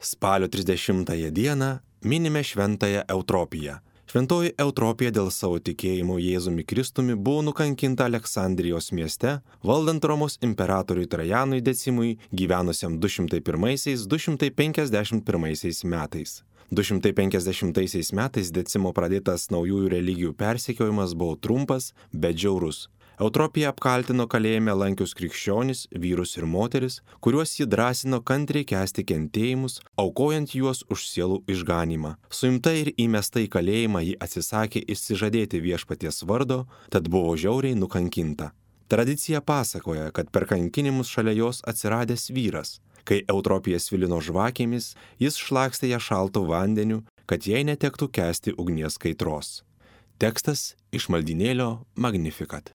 Spalio 30 dieną minime šventąją Eutropiją. Šventoji Eutropija dėl savo tikėjimo Jėzumi Kristumi buvo nukankinta Aleksandrijos mieste, valdant Romos imperatoriui Trajanui Decimui gyvenusiam 201-251 metais. 250 metais Decimo pradėtas naujųjų religijų persekiojimas buvo trumpas, bet žiaurus. Eutropija apkaltino kalėjime lankius krikščionis, vyrus ir moteris, kuriuos ji drąsino kantriai kęsti kentėjimus, aukojant juos už sielų išganymą. Suimta ir įmesta į kalėjimą ji atsisakė išsižadėti viešpaties vardo, tad buvo žiauriai nukankinta. Tradicija pasakoja, kad per kankinimus šalia jos atsiradęs vyras. Kai Eutropija svilino žvakėmis, jis šlakstė ją šaltu vandeniu, kad jai netektų kęsti ugnies kaitros. Tekstas iš maldynėlio Magnificat.